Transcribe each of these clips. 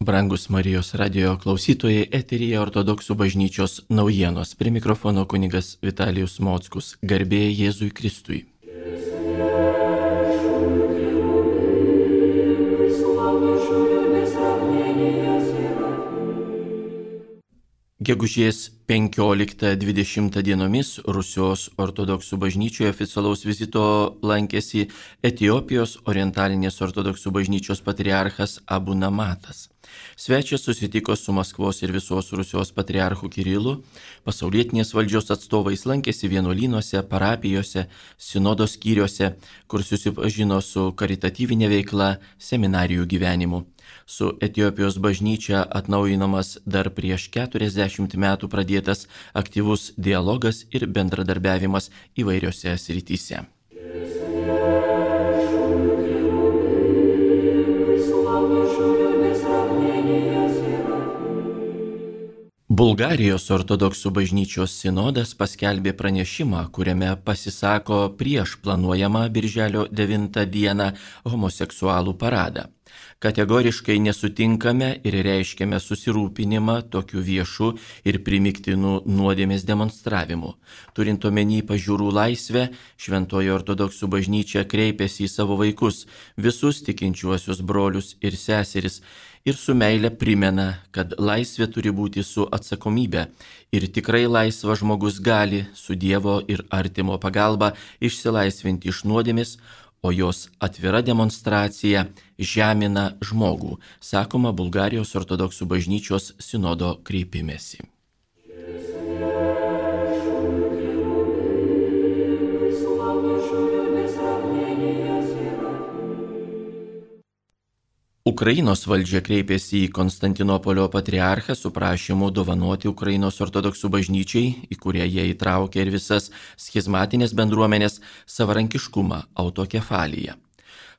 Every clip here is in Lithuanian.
Brangus Marijos radio klausytojai, eteryje Ortodoksų bažnyčios naujienos. Prie mikrofono kunigas Vitalijus Mockus. Garbė Jėzui Kristui. Gegužės 15-20 dienomis Rusijos ortodoksų bažnyčioje oficialaus vizito lankėsi Etiopijos orientalinės ortodoksų bažnyčios patriarchas Abu Namatas. Svečias susitiko su Maskvos ir visos Rusijos patriarchu Kirilu, pasaulietinės valdžios atstovais, lankėsi vienuolynuose, parapijose, sinodo skyriuose, kur susipažino su karitatyvinė veikla, seminarijų gyvenimu. Su Etiopijos bažnyčia atnaujinamas dar prieš 40 metų pradėtas aktyvus dialogas ir bendradarbiavimas įvairiose srityse. Bulgarijos ortodoksų bažnyčios sinodas paskelbė pranešimą, kuriame pasisako prieš planuojamą birželio 9 dieną homoseksualų paradą. Kategoriškai nesutinkame ir reiškiame susirūpinimą tokiu viešu ir primiktinų nuodėmės demonstravimu. Turint omeny pažiūrų laisvę, Šventoji ortodoksų bažnyčia kreipėsi į savo vaikus, visus tikinčiuosius brolius ir seseris, ir su meile primena, kad laisvė turi būti su atsakomybė ir tikrai laisvas žmogus gali su Dievo ir artimo pagalba išsilaisvinti iš nuodėmės, o jos atvira demonstracija žemina žmogų, sakoma Bulgarijos ortodoksų bažnyčios sinodo kreipimesi. Ukrainos valdžia kreipėsi į Konstantinopolio patriarchą su prašymu dovanoti Ukrainos ortodoksų bažnyčiai, į kurią jie įtraukė ir visas schizmatinės bendruomenės, savarankiškumą, autokefaliją.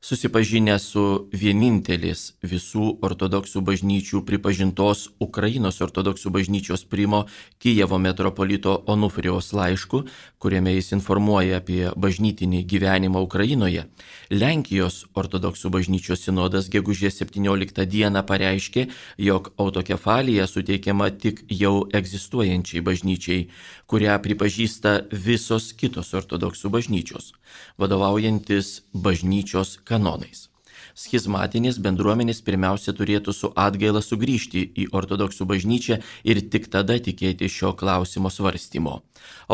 Susipažinę su vienintelis visų ortodoksų bažnyčių pripažintos Ukrainos ortodoksų bažnyčios primo Kijevo metropolito Onufrijaus laišku, kuriame jis informuoja apie bažnytinį gyvenimą Ukrainoje, Lenkijos ortodoksų bažnyčios sinodas gegužės 17 dieną pareiškė, jog autokefalija suteikiama tik jau egzistuojančiai bažnyčiai, kurią pripažįsta visos kitos ortodoksų bažnyčios, vadovaujantis bažnyčios kanonais. Schizmatinės bendruomenės pirmiausia turėtų su atgaila sugrįžti į ortodoksų bažnyčią ir tik tada tikėti šio klausimo svarstymo.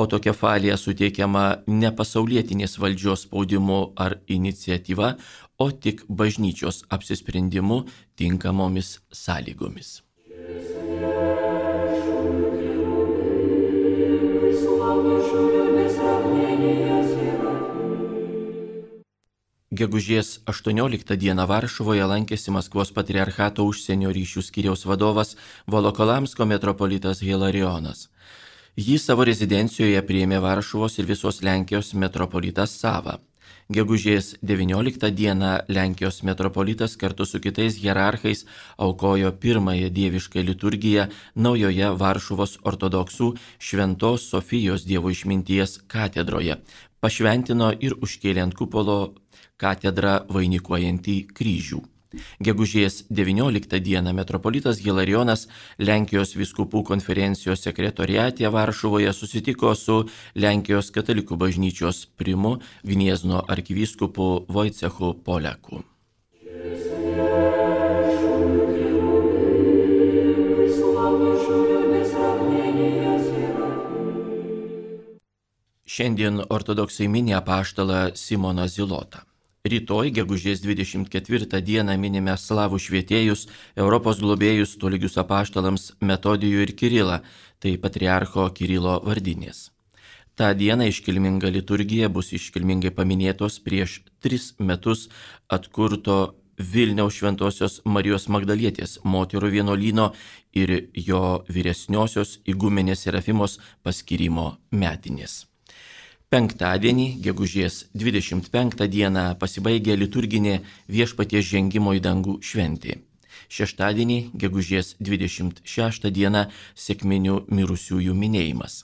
Autokefalija suteikiama ne pasaulietinės valdžios spaudimu ar iniciatyva, o tik bažnyčios apsisprendimu tinkamomis sąlygomis. Gegužės 18 dieną Varšuvoje lankėsi Maskvos patriarchato užsienio ryšių skyriaus vadovas Volokolamsko metropolitas Hilarionas. Jį savo rezidencijoje priėmė Varšuvos ir visos Lenkijos metropolitas Sava. Gegužės 19 dieną Lenkijos metropolitas kartu su kitais hierarchais aukojo pirmąją dievišką liturgiją naujoje Varšuvos ortodoksų Šventos Sofijos Dievo išminties katedroje, pašventino ir užkėlė ant kupolo katedrą vainikuojantį kryžių. Gegužės 19 dieną metropolitas Hilarionas Lenkijos vyskupų konferencijos sekretoriate Varšuvoje susitiko su Lenkijos katalikų bažnyčios primu Gniezno arkivyskupu Wojciechu Poleku. Šiandien ortodoksai mini apaštalą Simoną Zilotą. Rytoj, gegužės 24 dieną minime slavų švietėjus, Europos globėjus tolygius apaštalams Metodijų ir Kirilą, tai patriarcho Kirilo vardinės. Ta diena iškilminga liturgija bus iškilmingai paminėtos prieš 3 metus atkurto Vilniaus Šventosios Marijos Magdalietės moterų vienuolyno ir jo vyresniosios igumenės Serafimos paskyrimo metinės. Penktadienį, gegužės 25 dieną, pasibaigė liturginė Viešpaties žengimo į dangų šventė. Šeštadienį, gegužės 26 dieną, sekminių mirusiųjų minėjimas.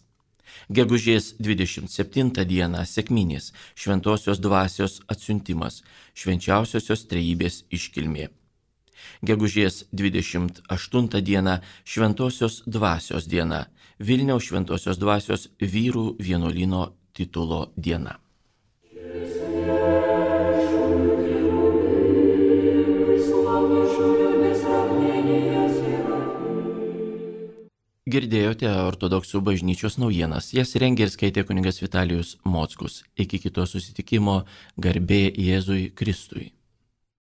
Gegužės 27 dieną, sekminės, Šventosios dvasios atsiuntimas, švenčiausiosios trejybės iškilmė. Gegužės 28 diena Šventosios dvasios diena, Vilniaus Šventosios dvasios vyrų vienuolyno titulo diena. Girdėjote ortodoksų bažnyčios naujienas, jas rengė ir skaitė kunigas Vitalijus Mockus. Iki kito susitikimo, garbė Jėzui Kristui.